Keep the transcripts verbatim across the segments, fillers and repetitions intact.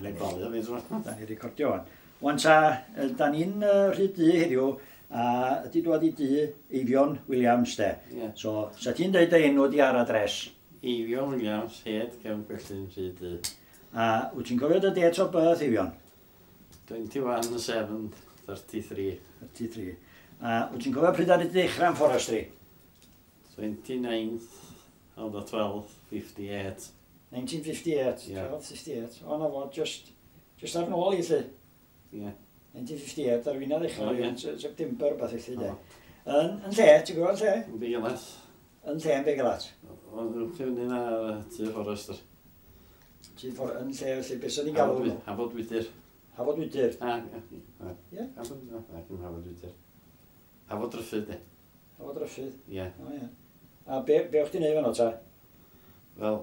Da Ni'n balu fi, dwi'n Da ni'n recordio wan. Wan ta, yy, da ni'n uh, rhy du heddiw, a ydi dwad i dŷ Eifion Williams de. Ie. So, sa ti'n deud dy enw di ar adres? Eifion Williams, head Cefn Gwellyn, Rhyd Du. A wyt ti'n cofio dy date of birth, Eifion? twenty-one seven thirty-three. thirty-three. A wyt ti'n cofio pryd ar i ddechrau yn forestry? twenty-ninth of the twelfth, fifty-eight. nineteen fifty-eight. Ie. twelve fifty-eight. O, na fo, just, just ar nôl i lle. Ie. nineteen fifty-eight, ar fi'n ddechrau, O, ie. yn September, beth felly, de. O. Yn, yn lle, ti'n gwybod lle? Yn Beilas. Yn lle yn Begalat. Ond dwi'n fyny na tŷ Forester. Ti'n ffordd, yn lle, felly, beth sy'n ni'n galw nhw? Hafod Wydyr. Hafod Wydyr. A, ie. Ie. Hafod, na, dim Hafod Wydyr. Hafod Dryffyd, de. Hafod Ryffydd. Ie. O, ie. A be, be o'ch ti'n neud fanno ta? Wel,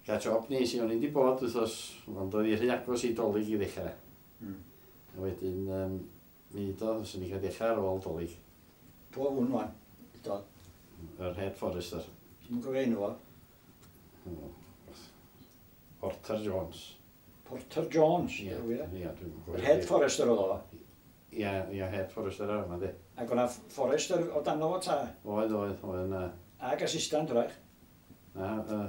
gael job nes i, o'n i wedi bod wythnos, ond oedd i rhy agos i Dolig i ddechrau. Mm. A wedyn, um, mi do, fyswn i cael dechrau ar ôl Dolig, Pwy hwn wan? Do. Yr head forester. Ti'n cofio enw fo? Porter Jones. Porter Jones. Ie, Ie. ie, dwi'n Yr head forester oedd o. Ie, ie, head forester ar yma, di. Ac o'na forester o dan o ta. Oedd, oedd, oedd yna. Ac assistant, wrach. Na, uh,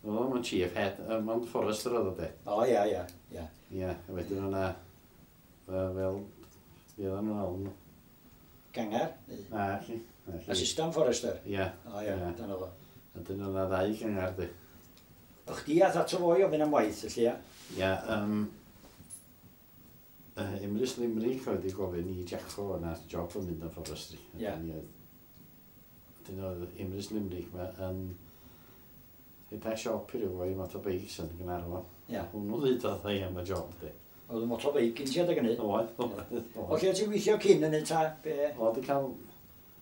oedd o'n chief head, uh, mond forester oedd o, de. O, ia, ia, ia. Ie, a wedyn o'na, uh, fel, fi oedd nhw'n alw. Gangar. Neu Na, chi. Na, chi. Assistant forester. Ie, O, ia, Ie. dan oedd o. A dyn o'na ddau gangar, di. O chdi ath ato fo i ofyn am waith, felly, ia? Ie, um, uh, Emrys Limerick oedd wedi gofyn i Jacko yna job yn mynd yn forestry. Ie. Dyn oedd Emrys Limerick ma yn rhedeg siop i ryw foi motorbikes yn Gaernarfon. Ie. Hwnnw ddeudodd ei am y job, di. Oedd y motorbike yn ti adeg hynny? Oedd, oedd. O lle ti'n gweithio cyn hynny ta? Be? Oedd wedi cael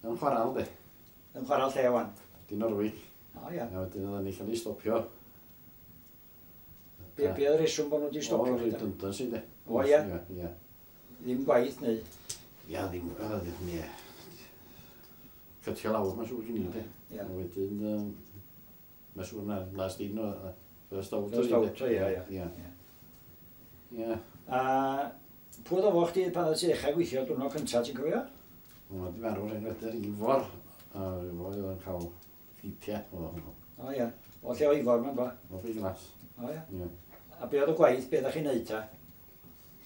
yn chwaral, di. Yn chwaral lle wan? Dinorwig. O, ia. A wedyn oedden ni cael ei stopio. Be, be oedd y reswm bod nhw wedi stopio? O, redundancy, di. O, ie. Ie, ie. Ddim gwaith neu? Ia, ddim, o, ddim, ie. Cytio lawr, mae'n siŵr gen i, di. Ie. A wedyn, um, mae'n siŵr na last in o, first out. First out, ie, ie. Ie. Ie. A pwy oedd o fo chdi pan oedd ti ddechrau gweithio diwrnod cyntaf, ti'n cofio? Wel, di marw rhaid wedyn Ifor. A Ifor oedd yn cael ffeithiau, oedd hwnnw. O ia. O lle o Ifor ma'n ba? O fi glas. O ia. Ie. A be oedd y gwaith, be ddech chi'n neud ta?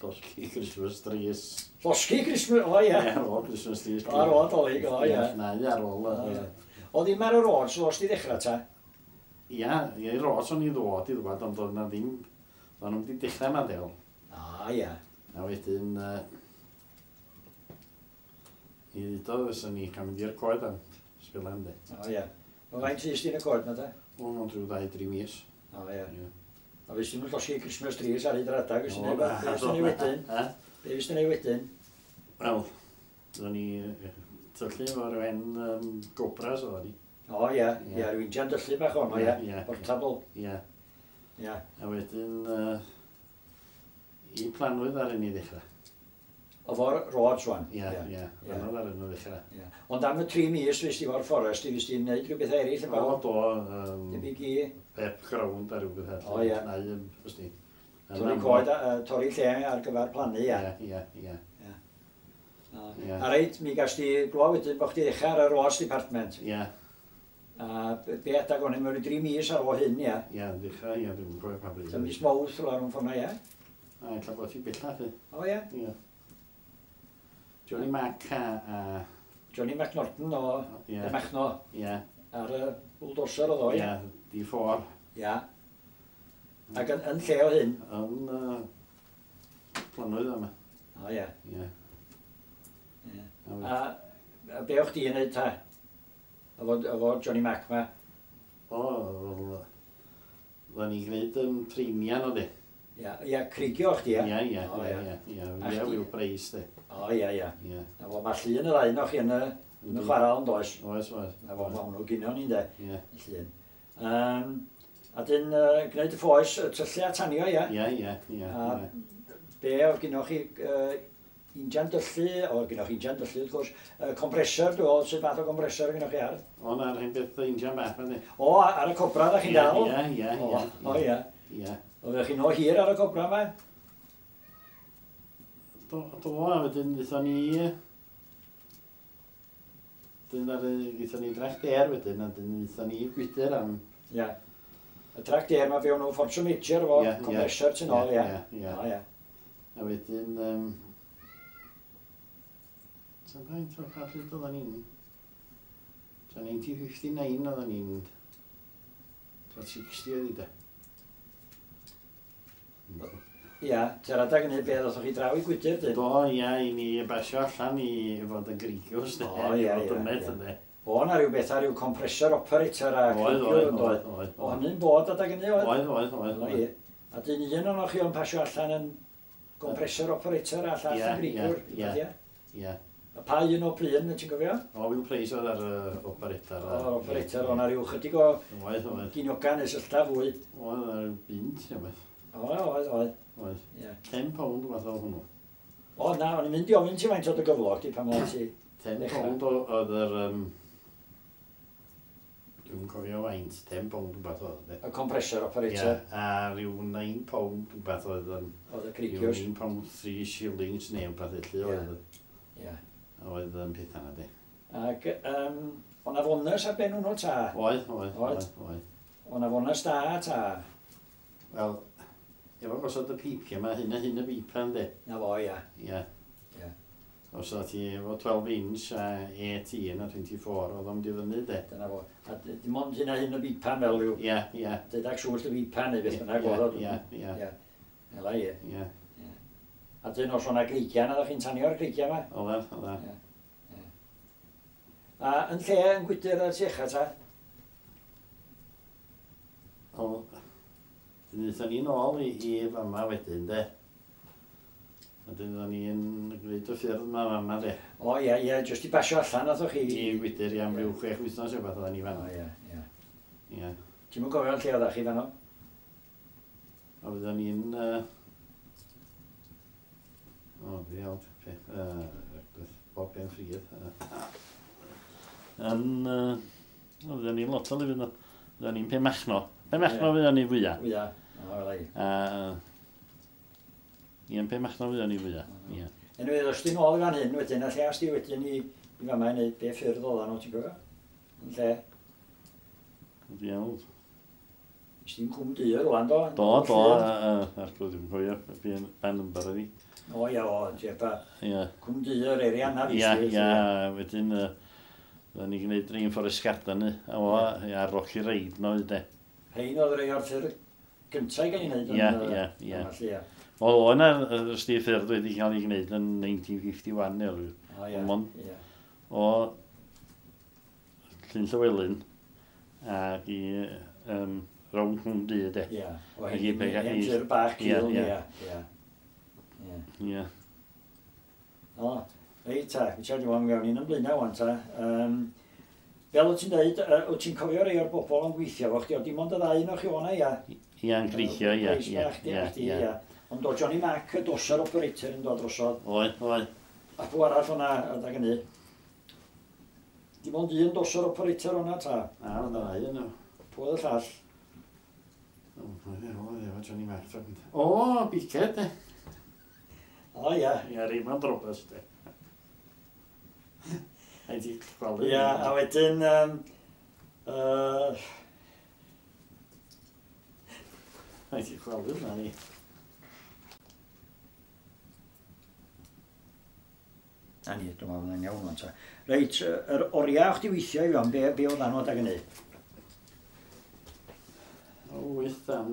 Llosgi Christmas trees. Llosgi Christmas, o ia. Ie, ar ôl Christmas trees. O, ar ôl Dolig, o, ie. Na, ie, ar ôl. O, yy, ie. O ddim ar y road, so os di ddechrau ta? Ia, ie, i ros o'n i ddod i ddwad, ond oedd na ddim, o'n nhw'n wedi dechrau ma del. A ia. A wedyn, uh, i ddeudodd fysa ni cael mynd i'r coed am sbilan, di. O ia. O faint fys di yn y coed na ta? O, mewn rhyw ddau, dri mis. O ia. Ie. A fes ti'n llosgi Christmas trees ar hyd yr adag, fes ti'n O, neud be fes ti'n neud wedyn? Ha? Be fes ti'n neud wedyn? Wel, oedden ni yy, tyllu efo rhyw hen um, gobras oedden ni. O ia, Ie. ia, rhyw injan dyllu bach ono, ia. Ie. Portable. Ie. Ia. A wedyn, uh, i planwydd ar un i ddechrau. O fo'r roads wan. Ie, ie, Ie. planwydd ar un i ddechrau. Ie. Ond am y tri mis fes ti fo'r fforest, fes ti'n neud rhywbeth eraill yn O, barod? do, um, Debyg i pep ground a rhywbeth. O, ie. Neu, yym, fes di. Torri coed, a- yy, torri lle ar gyfer plannu, ia. Ie, ie, ie. O. Ie. A reit, mi gas di glwad wedyn bod chdi ddechrau ar y roads department. Ie, A be be adag o'n i mewn dri mis ar ôl hyn, ia. ie, ddechrau, ie, dwi'n cofio pa bryd. Ta mis Mawrth rhywle rhwng ffordd ia. A, ella bod hi bellach, i. O ia. Ie. Johnny Mac a... a Johnny McNorton o Ie, y Machno ie, ar y bulldozer oedd o, ie, ia. D pedwar. Ia. Ac yn, yn lle o hyn. Yn uh, planwydd yma. O ia. Ie. Ie. A A, a be o'ch di yn neud ta? Efo, efo Johnny Mac ma. O, wel, oedden ni'n gwneud um, treimian o di. Ia, ia, creigio o'ch di, ia? Ie, ie, O, ie, ie. ie, ie. A Ie, chdi- Will Price, di. O, ia, ia. Ie. A fo, mae llun y ddau o'ch chi yn y, yn y chwaral yn does? Oes, oes. A fo, mae hwnnw gynno ni'n de, Ie, y llun. Um, a dyn, uh, gwneud y ffoes, y tyllu a tanio, ia? ie, ie, ie. A ie. be oedd gynnoch chi, uh, injan dyllu, o gynnoch chi injan dyllu wrth gwrs, uh, compressor, dwi'n meddwl, sut fath o compressor gynnoch chi ar? O, na'r hen beth injan bach, ma di. O, ar y Cobra da chi'n dal? Ie, ie, O, ie. o ia. Ie. Oeddech chi'n o hir ar y Cobra yma? Do, do, a wedyn ddaethon ni... Dyn ar ddaethon ni Trac Dare wedyn, a dyn ddaethon ni Gwydyr am... Ia. Y Trac Dare ma fewn o Fortune Major efo Ie, ie. compressor tu nôl, ia. Ie, ie. O, ia. A wedyn... Um, Sa'n faint o pa pryd oedden ni'n... Ta naw pum naw oedden ni'n... Ta chwech deg oedd hi de. Ia, ti'n adag yn hyn beth oeddech chi draw i Gwydyr, dyn? Do, ia, i ni basio allan i fod yn greigiwrs, de. O, ie, i fod ie, yn met, ie. ynde. O, na rhyw beth ar ryw compressor operator a Oedd, creigiwr oedd, yn oedd, doedd. oedd. O hynny'n bod adag hynny oedd? Oedd, oedd, oedd. O, ie. A dyn un o'n chi o'n pasio allan yn compressor operator a llall Ie, yn greigiwr. ie, ie. Ie. Ie. A pa un o pryn, ti'n gofio? O, Will Price oedd ar y operator. O'r operator, o'na rhyw chydig o Oedd, oedd. ginioga neu syllta fwy. Oedd ar bunt, neu beth. O, oedd, oedd. Oedd. Ie. ten pound fath o hwnnw. O, na, o'n i'n mynd i ofyn ti faint oedd y gyflog di pan oedd ti. ten Dechrau. pound o- oedd yr... Um, Dwi'n cofio faint, ten pound rhywbeth oedd. de. Y compressor Ie, operator, a rhyw nine pound rhywbeth oedd yn... oedd y Rhyw creigiwrs. nine pound three shillings neu rhywbeth felly Ie. oedd. Ie. Oedd yn pethau na di. Ac, um, o'na fonus ar ben hwnnw ta? Oedd, oedd, Oedd? oedd, oedd. O'na fonus da ta? Wel, efo gosod y peipia yma, hyn a hyn y beipa yndi. Na fo, ia. Ie. Ie. Os oedd ti efo twelve inch a eighteen a twenty-four, oedd o'n mynd i fyny de. Dyna fo. A d- dim ond hyn a hyn y bipan fel rhyw Ie, ie. deudag swllt y bipan neu beth bynnag Ie, oedd o. Ie, ie, Ie. Ela ie. ie. A dyn os o'na greigiau, na ddech chi'n tanio'r greigiau yma. Oedd e, oedd e. A yn lle yn Gwydyr ar Siecha ta? O, dyn ni nôl i, i fama wedyn de. A dyn ni'n gwneud y ffyrdd yma fama de. O ie, ie, jyst i basio allan nathoch chi. I Gwydyr i am ryw chwech wythnos o beth oedden ni O fanno. ie, ie. Ie. Ti'm yn gofio'n lle oeddach chi fanno? A fydden ni'n... Uh, o, ddiawl, peth, uh, bob ben ffridd. Yn... Uh, o, fydden ni'n lot o lefydd yna. Fydden ni'n Penmachno. Penmachno Ie. fydden ni fwyaf. Wya. O, wela i. A... Ie, yn Penmachno fydden ni fwyaf. Ie. Anyway, os ti'n ôl i fan hyn wedyn, a lle as di wedyn i, i fama i wneud be ffyrdd oedden nhw, ti'n gofio? Yn lle, Ddiawl. Nes ti'n Cwm Du rwan, do? Do, do, arglwydd, dwi'n cofio, ba number oedd hi. O, ia, o, ie, ba. Ie. Cwm Du yr area na Ia, ia, wedyn, yy, oedden ni'n gwneud Rainforest Garden, ni, a o, ia, Rocky Raid no, de. Rhain oedd rei o'r ffyrdd gyntaf i gael ei wneud. Ia, ia, ia. Ia, O, o yna, ysdi ffyrdd wedi cael ei gwneud yn nineteen fifty-one, neu rhyw. O, ia. Ond Ia. O Llyn Llywelyn, ac i um, rownd Cwm Du, de. Ia. O, Ac i hen pe- hen i- ffyrdd bach Ie, cul, ie. ia. Ia. Ia. Ie. O, reit ta, Richard, dwi'n mewn i'n ymlaen wan ta. Um, fel wyt ti'n dweud, uh, wyt ti'n cofio rei o'r bobl yn gweithio fo chdi, o dim ond y ddau un o'ch chi o'na, ia. Ia, yn greithio, ia, Reis ia, bach, ia, chdi, ia. ia. Ond o Johnny Mac, y doser operator yn dod drosodd, Oedd, oedd. a pw arall o'na adag hynny. Dim ond un doser operator o'na ta. A, oedd y ddau yn nhw. Pwy oedd y llall? O, oedd, oedd, efo Johnny Mac. O, Biced, de. O, ia. Ia, Raymond Roberts, de. Ai ti chwalu. Ia, a wedyn... Um, uh, Ai ti chwalu na ni. Na ni, dwi'n meddwl yn iawn o'n ta. Reit, yy, yr oriau o'ch di weithio i fewn, be, be oedd anw adag hynny? O, wyth am...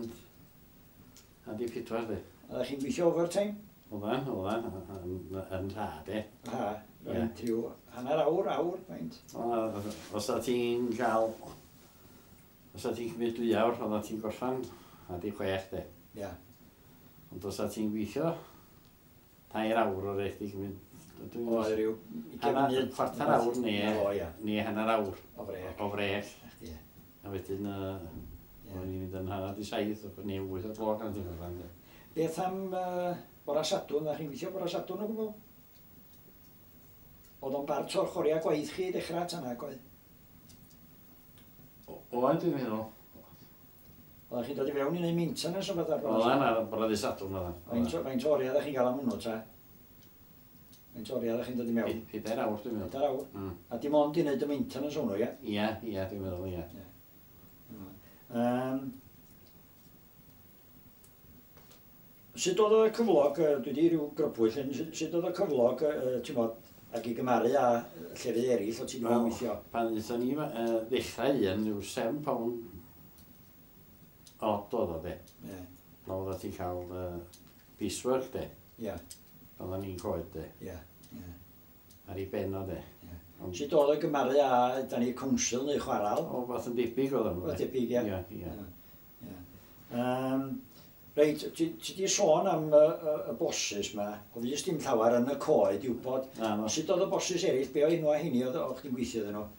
A di pedwar, de. Oeddech chi'n gweithio overtime? Oeddan, oeddan, yn, yn rha, de. Ha, Ie. faint rhyw hanner awr, awr, faint. O, os o ti'n cael... Os o ti'n cymryd dwy awr, oedda ti'n gorffan a di chwech, de. Ia. Ond os o ti'n gweithio tair awr o'r eich di cymryd... Dwi'n Oedd rhyw ugain Hanner- munud. chwarter awr neu- O, ia. Neu hanner awr O frec. o frec. Chdi, ie. A wedyn, uh, Ie. o'n i'n mynd yn hanner di saith, neu wyth o gloch yn ti'n gorffan, de. Beth am uh, bora Sadwrn, ddech chi'n gweithio bora Sadwrn o gwbl? Oedd o'n bart o'r choriau gwaith chi i ddechrau tan ag oedd? O, Oedd, dwi'n meddwl. Oeddech chi'n dod i fewn i wneud maintenance o beth ar Oeddan, ar bore ddydd Sadwrn oeddan. Faint o- faint o oriau ddech chi'n gael am hwnnw ta? Faint o oriau ddech chi'n dod i mewn? Pedair awr, dwi'n meddwl. Pedair awr. Mm. A dim ond i wneud y maintenance hwnnw, ie? Ia, ia, dwi'n meddwl, ia. Um, sut oedd y cyflog, yy, dwi wedi rhyw grybwyll, hyn, sut sut oedd y cyflog, yy, ti'n bod, ac i gymaru â llefydd eraill o ti wedi bod yn Wel, weithio? Pan ddaethon ni uh, ddechrau un, rhyw seven pound odd oedd o, de. Ie, Na oeddet ti'n cael uh, piecework, de. ie, Oedden ni'n coed, de. ie, ie. Ar ei ben o, de. Ie. Ond Sut oedd y gymaru â, da ni, council neu chwaral? o fath yn debyg oedd nhw, Oedd debyg, ie. Ie, ie. Ie. Um, reit, ti ti di sôn am y, y, y bosses ma, oedd jyst dim llawer yn y coed i wybod. Na, no. Sut oedd y bosses eraill, be o enwa heini oedd o'ch chdi'n gweithio iddyn nhw?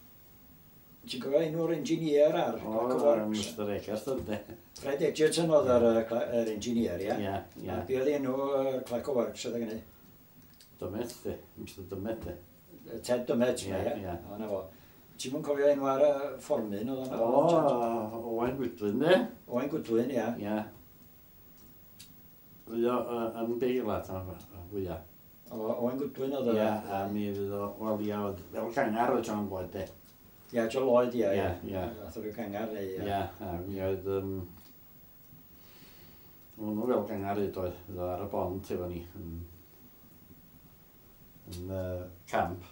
Ti'n cofio enw'r engineer ar O, Clerk of Works? Mister Egerton, de. Fred Edgerton oedd yr, yy, cla- yr engineer, ie? Ie, ie. A be oedd enw yy, Clerk of Works oedd gynnu? Dymet, de. Mister Dymet, de. Ted Dymet, Ie, ie? ie. O, na fo. Ti'n mwyn cofio enw ar y fformyn oedd yna? O, Owain Goodwin, de. Owain Goodwin, ie. Ie. Fwy o yy, yn Beilat, fwyaf. O, Owain Goodwin oedd Ie, y... a mi fydd o, wel, ia, oedd fel cangar oedd John Lloyd, de. Ie, John Lloyd, ie. Ie, ie. Nath o ryw gangar neu... Ie, a mi oedd, um, hwnnw fel gangar hyd oedd, oedd o ar y bont efo ni, yn, yn uh, camp.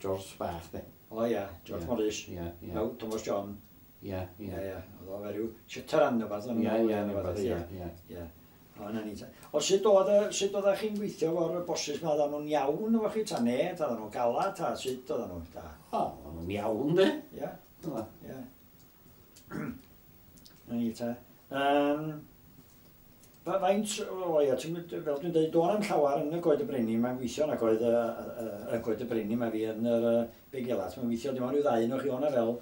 George Bach, de. O ie, George Ie. Morris. Ie, ie. No, Thomas John. Ie, Ie, ie. ie. Oedd o fe ryw shytaran neu beth. Ie, ie, rhywbeth, ie, ie. Ie. O, na ni. ta. O, sut oedd, y- sut oeddech chi'n gweithio efo'r bosses ma? Oedden nhw'n iawn efo chi, ta ne? Ta oedden nhw'n galad, ta sut oedden nhw? Ta. O, o'n nhw'n iawn, de. Ie, Dyna. ie. Na ni ta. Um, faint, o ia, ti'n mynd- fel dwi'n dweud, do'n am llawer yn y Goed y Brenin, mae'n gweithio yn y Goed y, y, y Goed y Brenin, mae fi yn yr uh, Begelat, mae'n gweithio dim ond rhyw ddau un o chi o'na fel.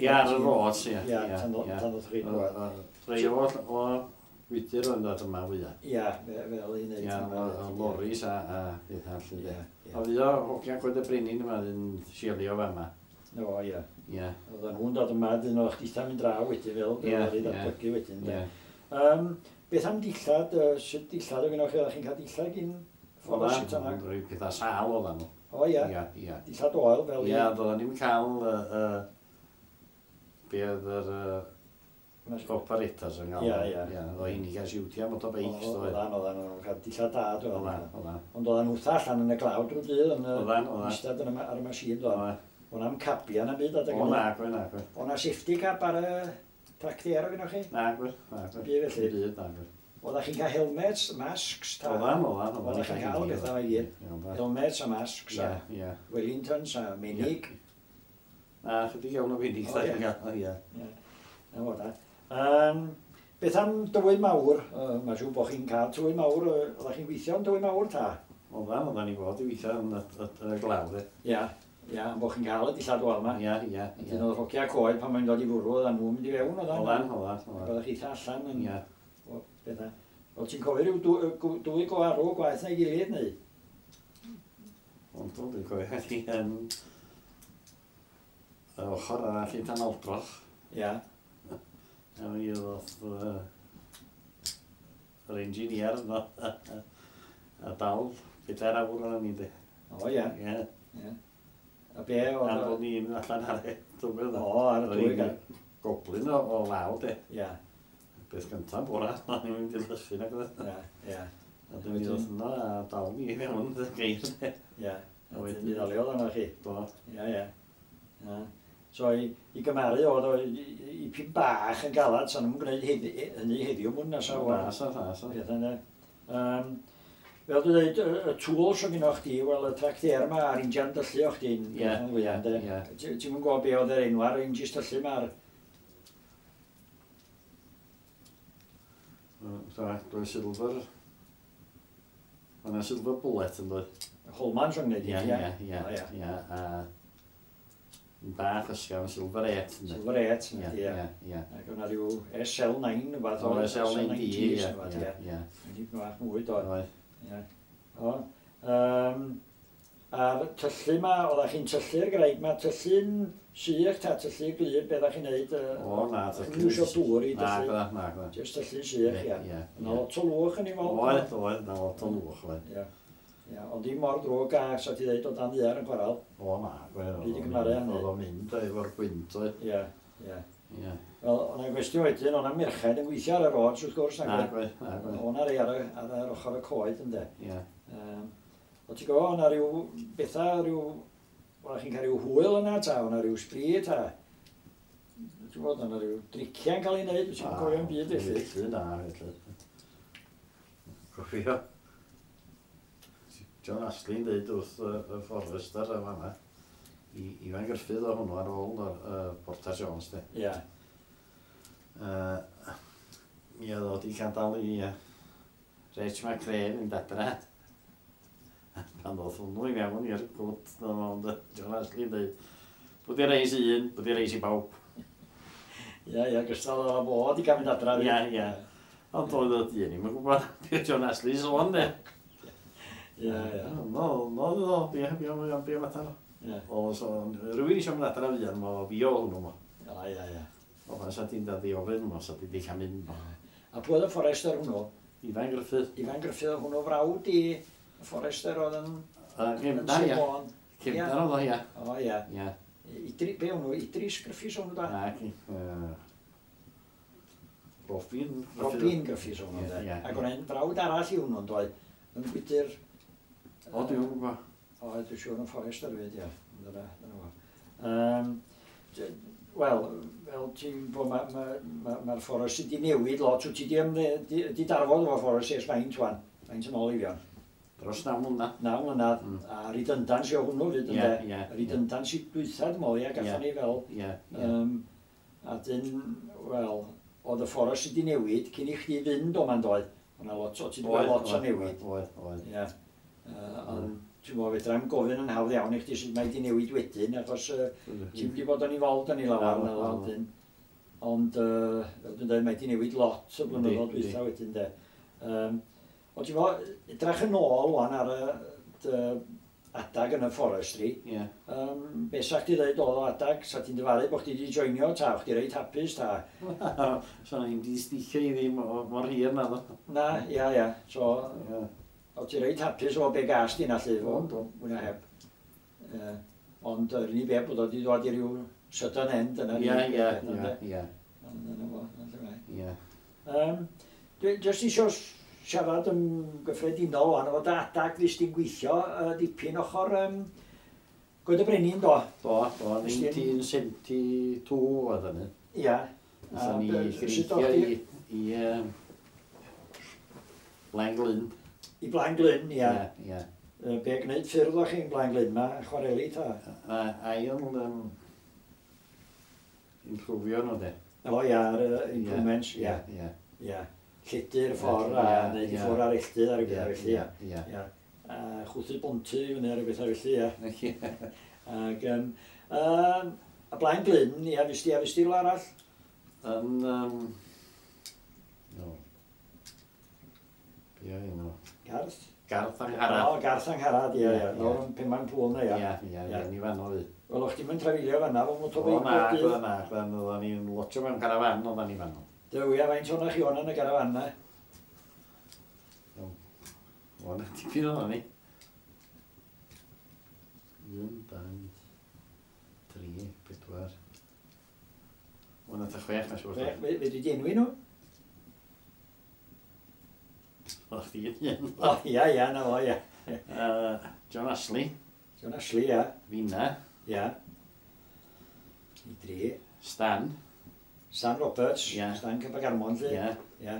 Ie, ar y roads, ie. Ie, tan ie. tan ddoth chi. O, o, Rhai o, o Gwydyr o'n dod yma fwyaf. Ia, fe- fel i wneud. Ie, o, o loris a, a bethau allu, de. Ie, ie. O fydd o hogia Coed y Brenin yma yn sielio fa yma. O, ie. Ie, Oedden nhw'n dod yma, dyn o'ch ditha mynd draw wedyn fel, Ie, fel i ie. ddatblygu wedyn. de. ie. Um, beth am dillad, uh, sut dillad o gynnwch chi, oeddech chi'n cael dillad gyn ffordd o sut yna? Oedden, rhoi pethau sâl oedden nhw. O ie, Ie, ie. dillad oel fel Ie, doedden ni'n cael uh, uh, be oedd yr uh, operators yn gael. Ie, ie. Ie, oedd hyn i gael siwtio motorbikes, doedd. Oedden, oedden nhw'n cael dillad da, doedden. Oedden, oedden. Ond oedden nhw wrtha allan yn y glaw drwy dydd, yn y Oedden, oedden. eistedd yn y ma- ar y machine, doedden. Oedden. O'na am cabia na byd adeg O, hynny. na, gwe, na, gwe. O'na safety cap ar y tractor o gynnwch chi? Na, gwe, na, gwe. Byd felly. Byd, na, gwe. Oeddech chi'n cael helmets, masks, ta? Oedden, oedden. Oeddech chi'n cael bethau i gyd. Helmets a masks a Ie, ie. Wellingtons a menig. Na, chydig iawn o fenig, O, da ie. chi'n gael, ie. Ie. Na fo da. Um, beth am dywy mawr? Uh, Mae'n siŵr bod chi'n cael tywy mawr. Uh, oeddech chi'n gweithio yn tywy mawr ta? Oedden, oedden ni fod i weithio yn y, y, y glaw, de. Ia. Ia, am bod chi'n cael y dillad oel yma. Ie, ie, ie. Dyn oedd hogia coed pan mae'n dod i fwrw, oedden nhw'n mynd i fewn, oedden. Oedden, oedden, oedden. Oeddech chi eitha allan yn... Ie. O, bethau. O, ti'n cofio rhyw dwy, dwy, dwy go arw gwaith na'i gilydd, neu? Ond o, dwi'n cofio chi yn y ochr arall i Tanaldroch. Ia. A mi oedd yy, yr engineer yno. A dal pedair awr o'n ni, de. O, ia. Ie. Ie. A be Ar oedd... bod ni'n mynd allan ar y dwydd. O, ar y dwy gan. Goblin o, o law, de. Ia, Beth gyntaf bora, o'n i'n mynd i lychu nag oedd. ia, ia, A dwi'n mynd yno a dal ni i mewn y geir, de. ia. A A wedyn wedyn- mi ddaliodd yna chi. Do. Ia, ia. Ia. So i, i gymaru oedd o i, i, i pyn bach yn galad, sa'n nhw'n gwneud heddi, hynny heddiw mwyn nesa. O, na, sa, na, sa. Peth yna. Um, fel dwi'n dweud, y, y tools o gynnwch chdi, wel, y tractor yma a'r injan dyllu o'ch chdi'n Ie, fwyaf, ynde? ie. Ti- Ti'm yn gwybod be oedd yr enw ar injis tyllu yma ar... So, dwi'n silver... Mae yna silver bullet yn dod. Holman so'n gwneud Ie, i, ie, ie, O, ie. ie. A yn bach ysgafn, silver eight. ynde? Silver eight, Ie, ie. ie, ie. Ac o'na rhyw S L nine, rhywbeth O, S L nine D, ie, rhywbeth, ie, ie. ie. Yn bach mwy, do. Oedd. Ie. O. Um, A'r tyllu yma, oeddech chi'n tyllu'r graig yma, tyllu'n sych ta tyllu gwlyb, be oeddech chi'n neud? O, na, tyllu. Ddim isio dŵr i Na, dyllu. na, na, na. Jyst tyllu'n sych, ia. Ie, Yna lot o lwch yn ei fod. Oedd, oedd, na lot o lwch, oedd. Ia. Ia, ond dim mor ddrwg a sa ti ddeud o dan ddaear yn chwaral. O, na, gwedd. Byd i gymharu hynny. Oedd o'n mynd efo'r gwynt, oedd. Ia, ia. Ie. Wel, o'na gwestiwn wedyn, o'na merched yn gweithio ar y roads wrth gwrs, Na, nag oedd? gwedd, na, gwedd. O'na rei ar, y, ar yr ochr y coed, ynde. Ie. Um, o ti'n gwybod, o'na rhyw bethau, rhyw... O'na chi'n cael rhyw hwyl yna, ta, o'na rhyw sbri, ta. Ti'n gwybod, o'na rhyw driciau'n cael ei wneud, ti'n cofio'n byd felly. Felly, na, felly. Cofio. John Astley'n dweud wrth y, y Forester y fanna, i Ifan Gruffydd o hwnnw ar ôl y uh, Porter Jones, de. Ia, Uh, mi oedd o di gadael i uh, Rach McRae fynd adra. Pan ddoth hwnnw i mewn i'r gwt, ond John Astley'n dweud, bod i reis i un, bod i reis i bawb. ia, ia, gystal o fod i gael mynd adra. Ia, ia. Ond oedd o dyn ni'n gwybod beth John Astley sôn, de. Ia, ia. No, no, no, be, be, be, be matar. Ia, O, so, rhywun eisiau mynd adra fuan, mo fi o hwnnw, mo. ia, ia, ia. O, fan sa ti'n dad i ofyn, mo, sa ti di cael mynd, mo. A pwy oedd y Forester hwnnw? Ifan Gruffydd. Ifan Gruffydd oedd hwnnw frawd i y Forester oedd yn... Uh, yn Cefndar, Sir ia. Fôn. Cefndar oedd o, ia. O, ia. Ia. Idri, be hwnnw? Idris Griffiths hwnnw da? Na, ci. Yy, Robin Gruffydd. Robin Griffiths hwnnw, Ie, de. ie, Ac ie. o'n un frawd arall i hwnnw, doedd? Yn Gwydyr. O, dwi'n gwybod. O, dwi'n siŵr yn Forester hefyd, ia. Dyna, dyna fo. Um, Wel, fel ti'n bod, mae'r ma, ma, ma Forest wedi newid lot. Wyt ti di, ymdde- di, di darfod efo Forest ers faint wan? Faint yn ôl i fi Dros naw mlynedd. Naw mlynedd. Mm. A redundancy o hwnnw fyd, Ie, ynde? ie, Redundancy dwytha, dwi'n meddwl, ia, gathon ni fel. Ie, ie. Um, a dyn, wel, oedd y Forest wedi newid cyn i chdi fynd o ma'n doedd. O'na lot o, ti wedi gweld lot o newid. Oedd, oedd. Ie. Uh, ond ti'n gwybod, fedra i'm gofyn yn hawdd iawn i chdi sut mae wedi newid wedyn, achos uh, ti'n wedi bod yn involved yn ei lawr Na, na na. wedyn. Ond, uh, fel dwi'n dweud, mae wedi newid lot y blynyddoedd Yndi, dwytha wedyn, de. Um, ond ti'n gwybod, edrach yn ôl wan ar y dy adag yn y forestry, Ie. um, be sa chdi dweud oedd o adag, sa ti'n dyfaru bod chdi wedi joinio, ta, chdi reit hapus, ta? So ni'n di sticio i ddim o- mor hir na ddo. Na, ia, ia. So, Ie. o ti reit hapus o be gas di na lly, fo, Ond, do. mwy na heb. Uh, ond yr unig beth bod o wedi dod i ryw sudden end yna. Ie, ie, ie, ie, Dyna fo, dyna lle mae. ie. Um, dwi jyst isio siarad yn gyffredinol wan, efo dy adag fes ti'n gweithio uh, dipyn ochr um, Goed y Brenin, do? Do, do, Nes ti- nineteen seventy-two oedd hynny. Ia. Nathon ni A be- sut greithio o'ch i, chi? i um, Blaenglyn. I Blaenglyn, ia. Ie, ie. Yy, Be gwneud ffyrdd o'ch chi'n Blaenglyn ma, chwareli ta? A ail um, improfio nhw de. O ia, ar uh, improvements, ia. Ie, Ia. Lledu'r ffordd a Ie, neud i ie. ffwrdd ar elltydd ar y ie, bethau felly, ia. ie, ie. Ia. A chwthu bonty i fyny ar y bethau felly, ia. Ie. Ac, um, um, a Blaenglyn, ia, fes ti, a fes ti rhywle arall? Yn, um, no. Be oedd enw? Garth? Garth Angharad. O, Garth Angharad, ia, Ie, ia. ie. Lawr yn Penmaen Pŵl na, ia. Ie, ie, ie, ni fan oedd. Wel, o'ch ti'n mynd trafeilio fan'na, fo O, motorbike na, bob dydd. na, na, oedden ni'n lotio mewn carafan, oedden ni fan. Dyw, ia, faint o'na chi o'na yn y garafan na? O, na, tipyn oedden ni. Un, dau, tri, pedwar. O, na, ta chwech, na siŵr. Fe, fe, fe dwi di enwi nhw? O'ch chdi yn un. O, ia, ia, na fo, ia. Yy, John Ashley, John Ashley, ia. Fina, Ia. I dri. Stan, Stan Roberts, Ie. Stan Cybagarmon, lly. ie. Ia.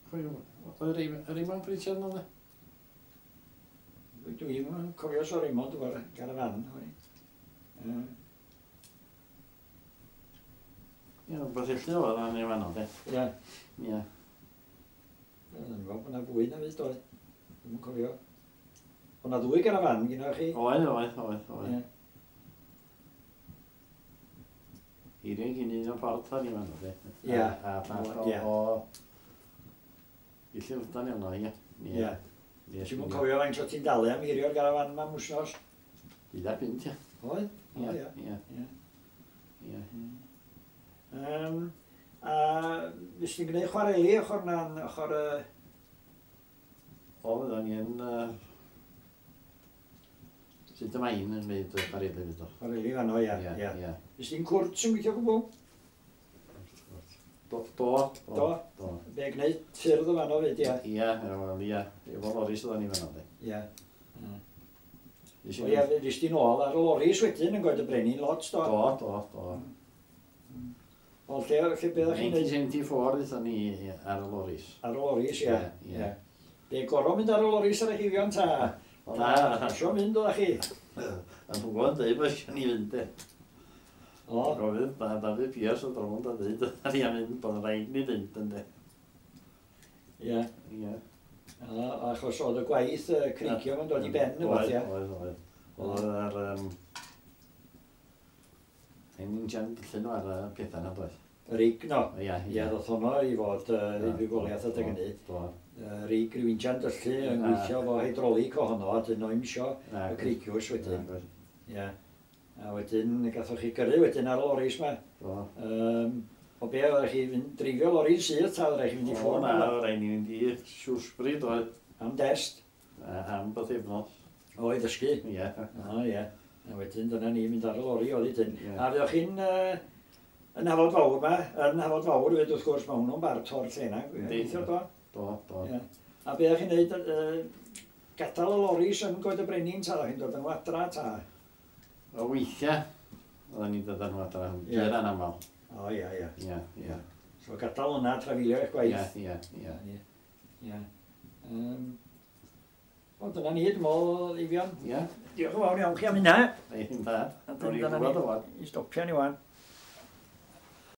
Pwy- Oedd Raymond Raymond Pritchard yno, de? Dwi dwi'm yn cofio so Raymond efo'r garafan. o'n i. Yy, Ie, rhywbeth felly oedd o'n ei fanno, de. Ia. Ie. Dwi'n meddwl bod yna fwy na fydd, doedd. Dwi'm yn cofio. O'na ddwy garafan gyda chi. Oedd, oedd, oedd, oedd. Ie. Eirian gyn un o'n ffordd o'n i fanno, de. Ie. A, a llall o... Ie. o... I Llundain yno, ie. Ie. Ti'n mwyn cofio faint o ti'n dalu am hirio'r garafan yma wsnos? Deuddeg punt, ia. Oedd? Ie, ie. Ie. Um, a fes ti'n gwneud chwareli ochr na'n ochr... Uh... O, fydda ni yn... Uh, Sut y main yn gwneud chwareli fyd o. Chwareli fanno, ia. Ie, ie. Fes ti'n cwrt yn gweithio gwbl? Do, do, do. Do. Be gwneud ffyrdd o fanno fyd, ia? Ia, wel, ia. Efo loris oedden ni fanno, di. Ia. O ia, fes ti'n ôl ar y loris wedyn yn Goed y Brenin lot, do? Do, do, do. O, lle, lle be ddech chi'n neud? nineteen seventy-four ddethon ni ar y loris. Ar y loris, ia. Ia. Be gorau mynd ar y loris ar y chifion, ta? O, na. Isio mynd oeddech chi? A nhw'n gwybod dweud bod eisiau ni fynd, de. O. Gofyn, da, Dafydd Pierce oedd rownd a dweud, a ni am mynd bod yn rhaid ni fynd, ynddo. Ie. Ie. Achos oedd y gwaith creicio yn dod i ben, oedd, ia? Oedd, oedd. Oedd ar... Ein injan dillyn nhw ar y pethau na, doedd? Rig, no. Ie, ie. Ie, ddoth honno i fod i fuddugoliaeth adeg hynny. Do. Rig rhyw injan dyllu yn gweithio fo hydraulic ohono, a dyn nhw'n isio y creiciwrs wedyn. Ie. A wedyn, gathoch chi gyrru wedyn ar y loris ma. Do. Um, o be, oeddech chi fynd dreifio lori'n syth, ta oeddech chi fynd i ffwrdd? O na, oedd rhaid ni fynd i Shrewsbury, doedd. Am dest? Am bythefnos. O, i ddysgu? Ie. O, ie. A wedyn, dyna ni mynd ar y lori oedd i dyn. A fyddwch chi'n uh, yn Hafod Fawr ma, yn Hafod Fawr, fyd wrth gwrs, mae hwnnw'n bart o'r lle na. Yndi. Do? Do, do. Ie. A be o'ch chi'n neud, uh, gadael y loris yn Goed y Brenin, ta o'ch chi'n dod yn wadra, ta? O weithiau, oedden ni'n dod â nhw adra, gyr anaml. O, ia, ia. Ia, ia. So gadael hwnna, trafeilio eich gwaith. Ia, ia, ia. Ia. O, dyna ni, dwi'n meddwl, Eifion. Ia. Diolch yn fawr iawn chi am hynna. Ein da. Dwi'n gwybod o wan. I stopio ni wan.